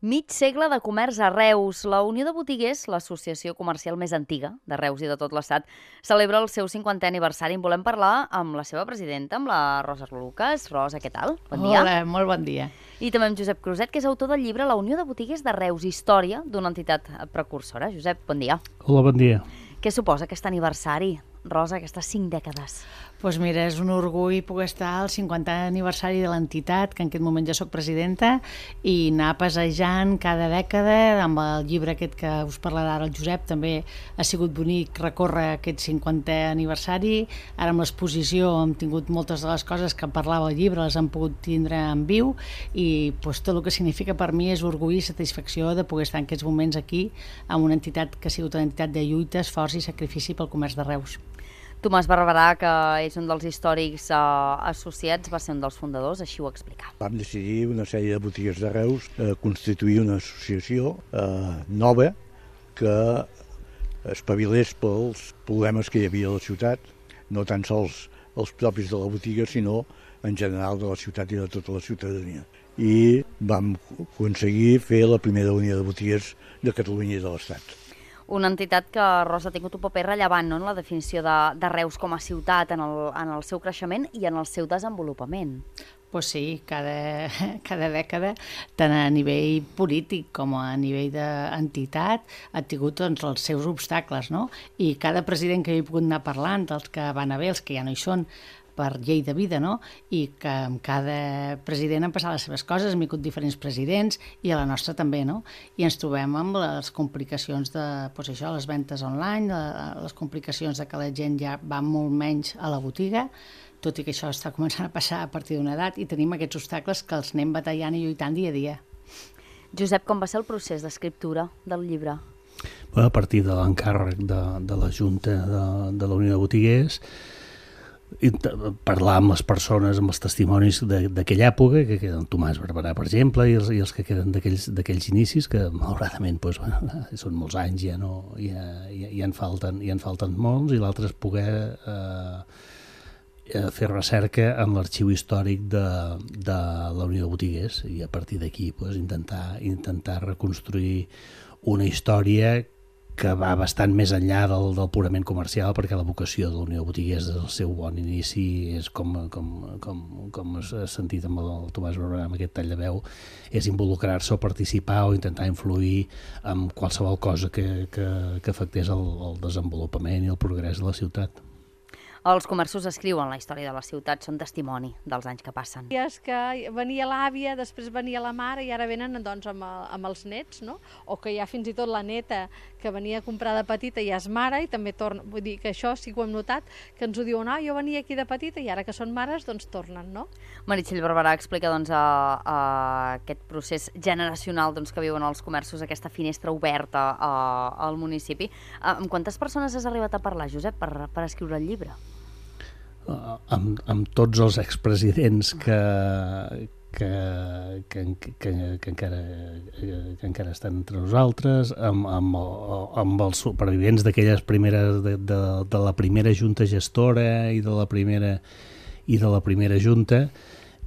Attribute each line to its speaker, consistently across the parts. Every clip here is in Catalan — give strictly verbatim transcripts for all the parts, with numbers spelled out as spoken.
Speaker 1: Mig segle de comerç a Reus. La Unió de Botiguers, l'associació comercial més antiga de Reus i de tot l'Estat, celebra el seu cinquantè aniversari. En volem parlar amb la seva presidenta, amb la Rosa Lucas. Rosa, què tal? Bon dia.
Speaker 2: Hola, molt bon dia.
Speaker 1: I també amb Josep Cruzet, que és autor del llibre La Unió de Botiguers de Reus, història d'una entitat precursora. Josep, bon dia.
Speaker 3: Hola, bon dia.
Speaker 1: Què suposa aquest aniversari, Rosa, aquestes cinc dècades?
Speaker 2: Doncs pues mira, és un orgull poder estar al cinquantè aniversari de l'entitat, que en aquest moment ja soc presidenta, i anar passejant cada dècada amb el llibre aquest que us parlarà ara el Josep. També ha sigut bonic recórrer aquest cinquantè aniversari. Ara amb l'exposició hem tingut moltes de les coses que parlava el llibre, les hem pogut tindre en viu, i pues, tot el que significa per mi és orgull i satisfacció de poder estar en aquests moments aquí amb una entitat que ha sigut una entitat de lluita, esforç i sacrifici pel comerç de Reus.
Speaker 1: Tomàs Barberà, que és un dels històrics eh, associats, va ser un dels fundadors, així ho explicava.
Speaker 4: Vam decidir, una sèrie de botiguers de Reus, eh, constituir una associació eh, nova que espavilés pels problemes que hi havia a la ciutat, no tan sols els propis de la botiga, sinó en general de la ciutat i de tota la ciutadania. I vam aconseguir fer la primera unió de botiguers de Catalunya i de l'Estat.
Speaker 1: Una entitat que, Rosa, ha tingut un paper rellevant, no?, en la definició de, de Reus com a ciutat, en el, en el seu creixement i en el seu desenvolupament.
Speaker 2: Pues sí, cada, cada dècada, tant a nivell polític com a nivell d'entitat, ha tingut doncs, els seus obstacles, no? I cada president que hi he pogut anar parlant, els que van haver, els que ja no hi són, per llei de vida, no? I que amb cada president han passat les seves coses, hem vingut diferents presidents, i a la nostra també, no? I ens trobem amb les complicacions de, doncs això, les ventes online, les complicacions de que la gent ja va molt menys a la botiga, tot i que això està començant a passar a partir d'una edat, i tenim aquests obstacles que els anem batallant i lluitant dia a dia.
Speaker 1: Josep, com va ser el procés d'escriptura del llibre?
Speaker 3: A partir de l'encàrrec de, de la Junta de, de la Unió de Botiguers, i parlar amb les persones, amb els testimonis d'aquella època, que queden Tomàs Barberà, per exemple, i els, i els que queden d'aquells inicis, que malauradament doncs, bueno, són molts anys, ja, no, ja, ja, ja, en, falten, ja en falten molts, i l'altre és poder eh, fer recerca en l'arxiu històric de, de la Unió de Botiguers, i a partir d'aquí doncs, intentar, intentar reconstruir una història que va bastant més enllà del, del purament comercial, perquè la vocació de la Unió de Botiguers des del seu bon inici és com, com, com, com has sentit amb el Tomàs Barberà, amb aquest tall de veu, és involucrar-se o participar o intentar influir en qualsevol cosa que, que, que afectés el, el desenvolupament i el progrés de la ciutat.
Speaker 1: Els comerços escriuen la història de la ciutat, són testimoni dels anys que passen.
Speaker 5: És que venia l'àvia, després venia la mare i ara venen doncs, amb, el, amb els nets, no? O que hi ha fins i tot la neta que venia a comprar de petita i ja és mare i també torna. Vull dir que això sí que ho hem notat, que ens ho diuen, ah, jo venia aquí de petita i ara que són mares, doncs tornen, no?
Speaker 1: Meritxell Barberà explica doncs, a, a aquest procés generacional doncs, que viuen els comerços, aquesta finestra oberta a, al municipi. Amb quantes persones has arribat a parlar, Josep, per, per escriure el llibre?
Speaker 3: Uh, amb, amb tots els expresidents que, que, que, que, que, encara, que encara estan entre nosaltres, amb, amb, amb els supervivents d'aquelles primeres de, de, de la primera junta gestora i de la primera i de la primera junta,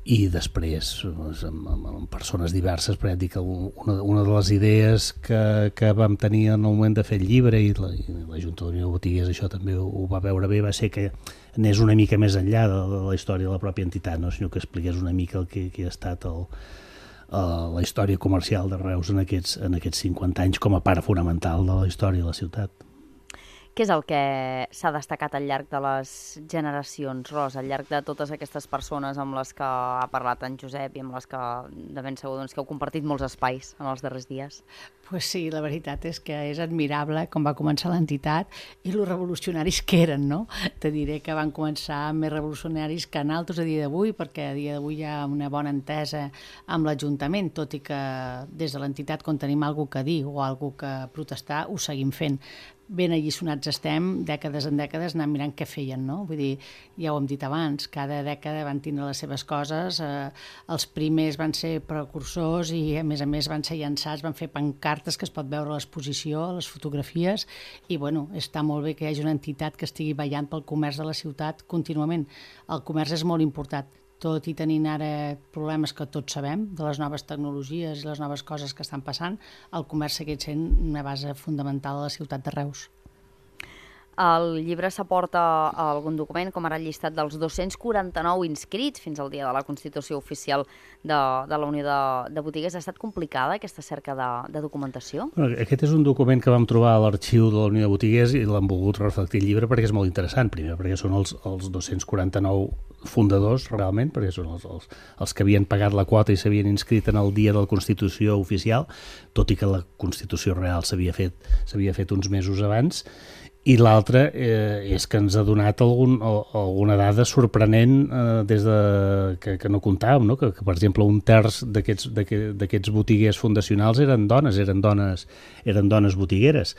Speaker 3: i després amb, amb, amb persones diverses, perquè dic que una, una de les idees que, que vam tenir en el moment de fer el llibre, i la, i la Junta de la Unió de Botiguers això també ho, ho va veure bé, va ser que anés una mica més enllà de, de la història de la pròpia entitat, no? Sinó que expliqués una mica el que, que ha estat el, el, la història comercial de Reus en aquests, en aquests cinquanta anys com a part fonamental de la història de la ciutat.
Speaker 1: Què és el que s'ha destacat al llarg de les generacions, Rosa, al llarg de totes aquestes persones amb les que ha parlat en Josep i amb les que de ben segur doncs, que heu compartit molts espais en els darrers dies?
Speaker 2: Pues sí, la veritat és que és admirable com va començar l'entitat i los revolucionaris que eren, no? Te diré que van començar més revolucionaris que naltros a dia d'avui, perquè a dia d'avui hi ha una bona entesa amb l'Ajuntament, tot i que des de l'entitat quan tenim alguna que dir o alguna que protestar ho seguim fent. Ben alliçonats estem, dècades en dècades, anant mirant què feien, no? Vull dir, ja ho hem dit abans, cada dècada van tindre les seves coses, eh, els primers van ser precursors i, a més a més, van ser llançats, van fer pancartes que es pot veure a l'exposició, a les fotografies, i, bueno, està molt bé que hi hagi una entitat que estigui ballant pel comerç de la ciutat contínuament. El comerç és molt important, tot i tenint ara problemes que tots sabem, de les noves tecnologies i les noves coses que estan passant, el comerç segueix sent una base fundamental a la ciutat de Reus.
Speaker 1: Al llibre s'aporta algun document, com ara el llistat dels dos-cents quaranta-nou inscrits fins al dia de la Constitució oficial de, de la Unió de, de Botiguers. Ha estat complicada aquesta cerca de, de documentació?
Speaker 3: Bueno, aquest és un document que vam trobar a l'arxiu de la Unió de Botiguers i l'hem volgut reflectir al llibre perquè és molt interessant, primer, perquè són els, els dos-cents quaranta-nou fundadors, realment, perquè són els, els, els que havien pagat la quota i s'havien inscrit en el dia de la Constitució oficial, tot i que la Constitució real s'havia fet, s'havia fet uns mesos abans. I l'altre eh, és que ens ha donat algun, alguna dada sorprenent eh, des de, que, que no comptàvem, no? Que, que, per exemple, un terç d'aquests botiguers fundacionals eren dones, eren dones, eren dones botigueres.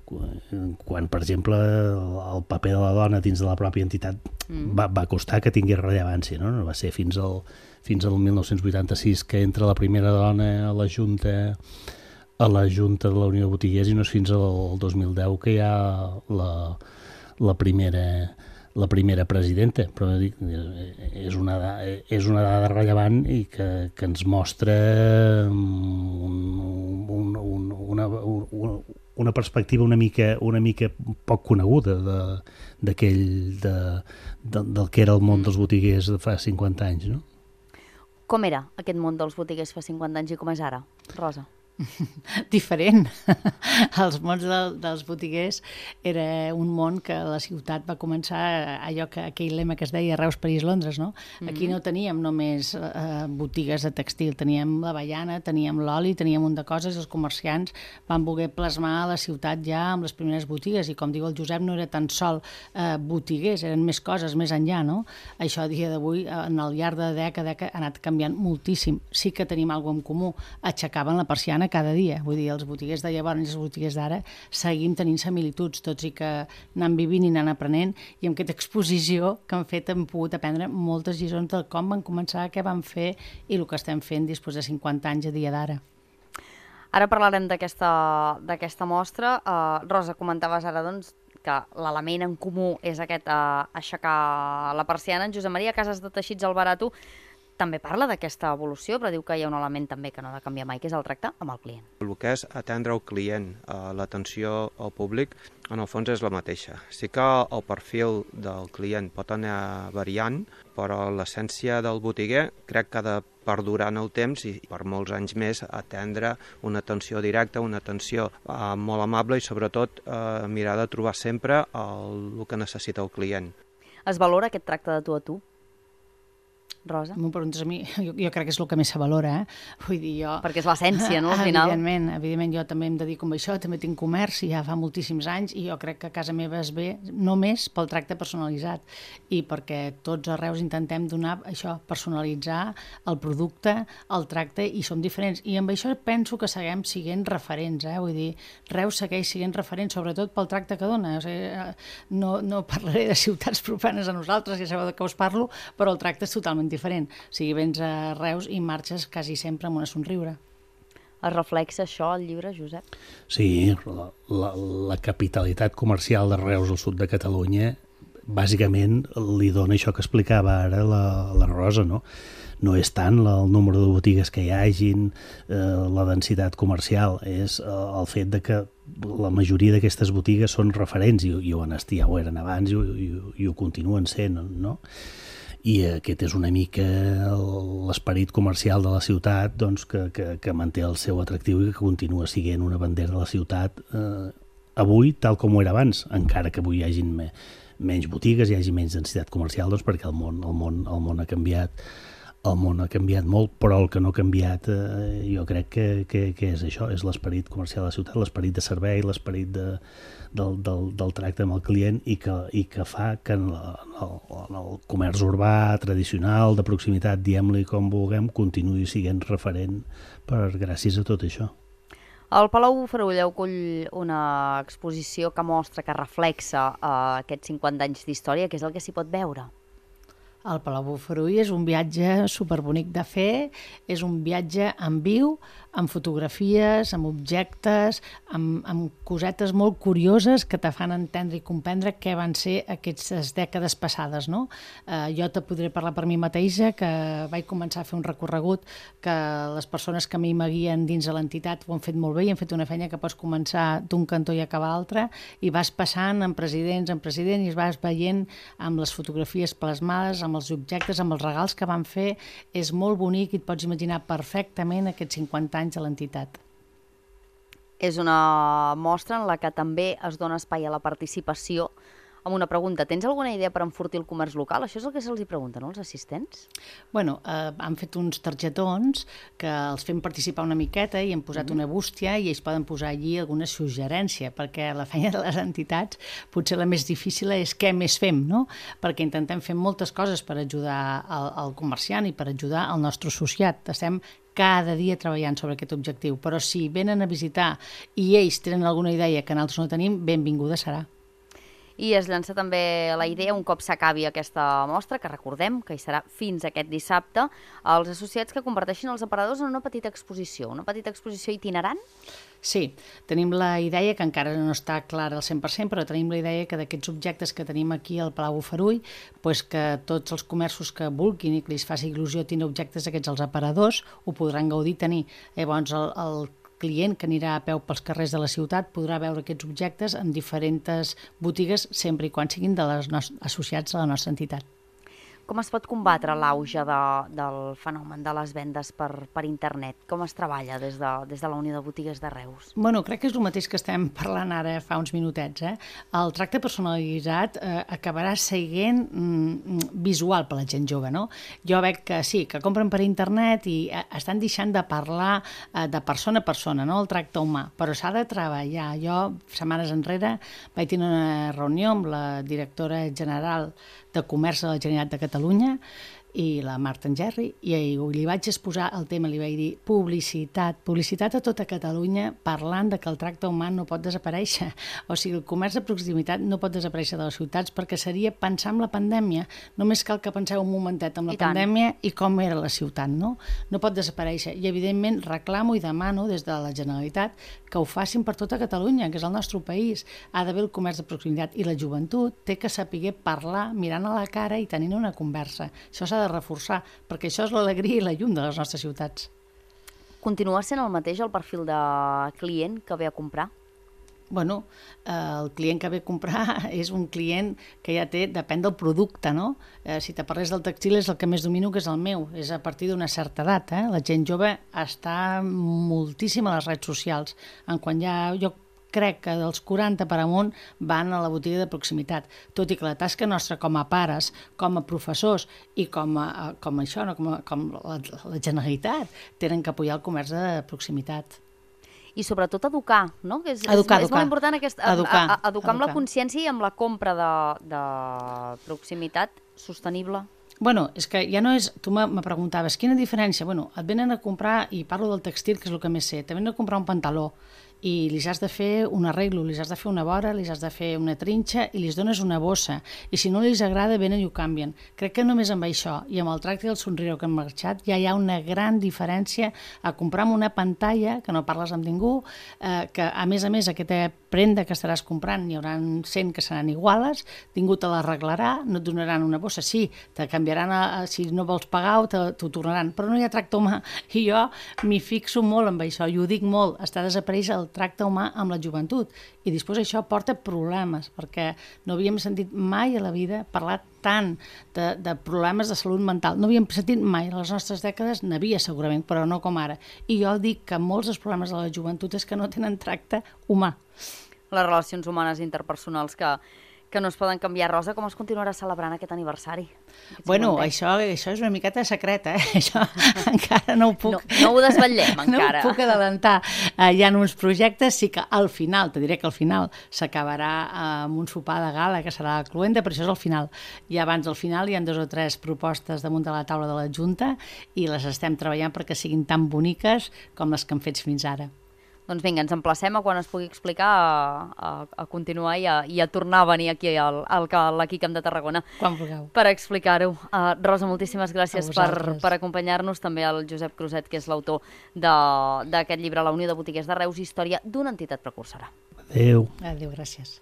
Speaker 3: Quan, per exemple, el paper de la dona dins de la pròpia entitat mm. va, va costar que tingués rellevància, no? No va ser fins al, fins al mil nou-cents vuitanta-sis que entra la primera dona a la Junta a la Junta de la Unió de Botiguers i no és fins al dos mil deu que hi ha la, la, primera, la primera presidenta, però dic, és, una, és una dada rellevant i que, que ens mostra un, un, un, una, una, una perspectiva una mica, una mica poc coneguda de, d'aquell, de, de, del que era el món dels botiguers de fa cinquanta anys. No?
Speaker 1: Com era aquest món dels botiguers fa cinquanta anys i com és ara, Rosa?
Speaker 2: Diferent. Els mons de, dels botiguers era un món que la ciutat va començar allò que aquell lema que es deia Reus, París, Londres, no? Mm-hmm. Aquí no teníem només eh, botigues de textil, teníem la baiana, teníem l'oli, teníem un de coses, els comerciants van voler plasmar la ciutat ja amb les primeres botigues i com diu el Josep no era tan sol eh, botiguers, eren més coses més enllà, no? Això a dia d'avui en el llarg de dècada ha anat canviant moltíssim. Sí que tenim alguna en comú, aixecaven la persiana cada dia, vull dir, els botiguers de llavors i els botiguers d'ara seguim tenint similituds, tots i que anant vivint i anant aprenent, i amb aquesta exposició que han fet hem pogut aprendre moltes lliçons de com van començar, què van fer i el que estem fent després de cinquanta anys a dia d'ara.
Speaker 1: Ara parlarem d'aquesta d'aquesta mostra. Uh, Rosa, comentaves ara doncs, que l'element en comú és aquest uh, aixecar la persiana. En Josep Maria Casas de Teixits Alvarado també parla d'aquesta evolució, però diu que hi ha un element també que no ha de canviar mai, que és el tracte amb el client.
Speaker 6: El que és atendre el client, l'atenció al públic, en el fons és la mateixa. Sí que el perfil del client pot anar variant, però l'essència del botiguer crec que ha de perdurar en el temps i per molts anys més atendre una atenció directa, una atenció eh, molt amable i sobretot eh, mirar de trobar sempre el, el que necessita el client.
Speaker 1: Es valora aquest tracte de tu a tu? Rosa?
Speaker 2: M'ho preguntes a mi, jo, jo crec que és el que més se valora, eh? Vull dir, jo...
Speaker 1: Perquè és l'essència, no?, al final.
Speaker 2: Evidentment, evidentment, jo també em dedico a això, també tinc comerç i ja fa moltíssims anys i jo crec que a casa meva es ve només pel tracte personalitzat i perquè tots a Reus intentem donar això, personalitzar el producte, el tracte i som diferents. I amb això penso que seguim siguent referents, eh? Vull dir, Reus segueix siguent referent, sobretot pel tracte que dona. O sigui, no, no parlaré de ciutats profanes a nosaltres, ja sabeu de què us parlo, però el tracte és totalment diferent. O sigui, vens a Reus i marxes quasi sempre amb una somriure.
Speaker 1: Es reflexa això al llibre, Josep?
Speaker 3: Sí, la, la, la capitalitat comercial de Reus al sud de Catalunya bàsicament li dona això que explicava ara la, la Rosa, no? No és tant el número de botigues que hi hagin, eh, la densitat comercial, és eh, el fet de que la majoria d'aquestes botigues són referents i, i ho han estat, ja ho eren abans i, i, i ho continuen sent, no? I aquest és una mica l'esperit comercial de la ciutat, doncs, que, que, que manté el seu atractiu i que continua sent una bandera de la ciutat eh, avui tal com ho era abans, encara que avui hi hagi me, menys botigues, hi hagi menys densitat comercial, doncs perquè el món, el món, el món ha canviat el món ha canviat molt, però el que no ha canviat eh, jo crec que, que, que és això, és l'esperit comercial de la ciutat, l'esperit de servei, l'esperit de, del, del, del tracte amb el client i que, i que fa que en, la, en, el, en el comerç urbà tradicional, de proximitat, diguem-li com vulguem, continuï sent referent per gràcies a tot això.
Speaker 1: El Palau Farulla acull una exposició que mostra, que reflexa eh, aquests cinquanta anys d'història, que és el que s'hi pot veure.
Speaker 2: El Palau Bofarull és un viatge superbonic de fer, és un viatge en viu, amb fotografies, amb objectes, amb, amb cosetes molt curioses que te fan entendre i comprendre què van ser aquestes dècades passades, no? Eh, jo te podré parlar per mi mateixa, que vaig començar a fer un recorregut que les persones que a mi m'aguien dins de l'entitat ho han fet molt bé i han fet una feina que pots començar d'un cantó i acabar a l'altre, i vas passant en presidents en president i es vas veient amb les fotografies plasmades, amb els objectes, amb els regals que van fer. És molt bonic i et pots imaginar perfectament aquests cinquanta anys de l'entitat.
Speaker 1: És una mostra en la que també es dona espai a la participació. Amb una pregunta, tens alguna idea per enfortir el comerç local? Això és el que se'ls hi pregunta, no?, els assistents?
Speaker 2: Bueno, eh, han fet uns targetons que els fem participar una miqueta i hem posat mm-hmm. una bústia i ells poden posar allí alguna suggerència, perquè la feina de les entitats potser la més difícil és què més fem, no? Perquè intentem fer moltes coses per ajudar al, al comerciant i per ajudar al nostre associat. Estem cada dia treballant sobre aquest objectiu, però si venen a visitar i ells tenen alguna idea que nosaltres no tenim, benvinguda serà.
Speaker 1: I es llança també la idea, un cop s'acabi aquesta mostra, que recordem que hi serà fins aquest dissabte, als associats que converteixin els aparadors en una petita exposició, una petita exposició itinerant?
Speaker 2: Sí, tenim la idea, que encara no està clara al cent per cent, però tenim la idea que d'aquests objectes que tenim aquí al Palau Bofarull, pues que tots els comerços que vulguin i que els faci il·lusió tenir objectes d'aquests als aparadors ho podran gaudir tenir. Llavors el, el client que anirà a peu pels carrers de la ciutat podrà veure aquests objectes en diferents botigues, sempre i quan siguin de les associats a la nostra entitat.
Speaker 1: Com es pot combatre l'auge de, del fenomen de les vendes per, per internet? Com es treballa des de, des de la Unió de Botigues de Reus?
Speaker 2: Bueno, crec que és el mateix que estem parlant ara fa uns minutets. Eh? El tracte personalitzat eh, acabarà seguint mm, visual per la gent jove, no? Jo veig que sí, que compren per internet i eh, estan deixant de parlar eh, de persona a persona, no? El tracte humà, però s'ha de treballar. Jo, setmanes enrere, vaig tenir una reunió amb la directora general de Comerç de la Generalitat de Catalunya i la Marta Engerri, i li vaig exposar el tema, li vaig dir publicitat, publicitat a tota Catalunya parlant de que el tracte humà no pot desaparèixer. O sigui, el comerç de proximitat no pot desaparèixer de les ciutats perquè seria pensar en la pandèmia. Només cal que penseu un momentet en la I pandèmia tant. I com era la ciutat, no? No pot desaparèixer. I, evidentment, reclamo i demano des de la Generalitat que ho facin per tota Catalunya, que és el nostre país. Ha d'haver el comerç de proximitat i la joventut té que saber parlar mirant a la cara i tenint una conversa. Això s'ha de reforçar, perquè això és l'alegria i la llum de les nostres ciutats.
Speaker 1: Continua sent el mateix el perfil de client que ve a comprar?
Speaker 2: Bueno, eh, el client que ve a comprar és un client que ja té, depèn del producte, no? Eh, si te parles del textil és el que més domino, que és el meu, és a partir d'una certa edat, eh? La gent jove està moltíssim a les redes socials, en quan ja jo crec que dels quaranta per amunt van a la botiga de proximitat, tot i que la tasca nostra com a pares, com a professors i com a, com a això, no? com, a, com la, la Generalitat, tenen que apoyar el comerç de proximitat.
Speaker 1: I sobretot educar, no? Que és,
Speaker 2: educar,
Speaker 1: és, és
Speaker 2: educar.
Speaker 1: molt important aquest,
Speaker 2: educar,
Speaker 1: a, a, educar, educar amb
Speaker 2: educar.
Speaker 1: la consciència i amb la compra de, de proximitat sostenible.
Speaker 2: Bueno, és que ja no és... Tu me preguntaves, quina diferència? Bueno, et venen a comprar, i parlo del textil, que és el que més sé, te venen a comprar un pantaló, i li has de fer un arreglo, li has de fer una vora, li has de fer una trinxa i li dones una bossa. I si no li agrada, venen i ho canvien. Crec que només amb això i amb el tracte i el somriure que han marxat ja hi ha una gran diferència a comprar amb una pantalla, que no parles amb ningú, eh, que a més a més aquesta prenda que estaràs comprant n'hi haurà cent que seran iguales, ningú te l'arreglarà, no et donaran una bossa, sí, te canviaran, a, a, si no vols pagar o t'ho tornaran, però no hi ha tracte humà. I jo m'hi fixo molt amb això, i ho dic molt, està desapareix el tracte humà amb la joventut, i després això porta problemes, perquè no havíem sentit mai a la vida parlar tant de, de problemes de salut mental, no havíem sentit mai, a les nostres dècades n'havia segurament, però no com ara, i jo dic que molts dels problemes de la joventut és que no tenen tracte humà.
Speaker 1: Les relacions humanes interpersonals que que no es poden canviar. Rosa, com es continuarà celebrant aquest aniversari? Aquest
Speaker 2: bueno, això, això és una miqueta secreta, eh? Això encara no ho puc...
Speaker 1: No, no ho desvetllem, encara.
Speaker 2: No ho puc adelantar. Uh, hi ha uns projectes, sí que al final, te diré que al final s'acabarà amb un sopar de gala que serà a Cluenda, però això és al final. I abans del final hi ha dos o tres propostes damunt de la taula de la Junta i les estem treballant perquè siguin tan boniques com les que hem fet fins ara.
Speaker 1: Doncs vinga, ens emplacem a quan es pugui explicar a, a, a continuar i a, i a tornar a venir aquí al, al, a l'Aqui Camp de Tarragona
Speaker 2: Quan vulgueu.
Speaker 1: per explicar-ho. Uh, Rosa, moltíssimes gràcies
Speaker 2: A
Speaker 1: per,
Speaker 2: vosaltres.
Speaker 1: per acompanyar-nos, també al Josep Cruzet, que és l'autor d'aquest llibre, La Unió de Botiguers de Reus, història d'una entitat precursora.
Speaker 3: Adéu.
Speaker 2: Adéu, gràcies.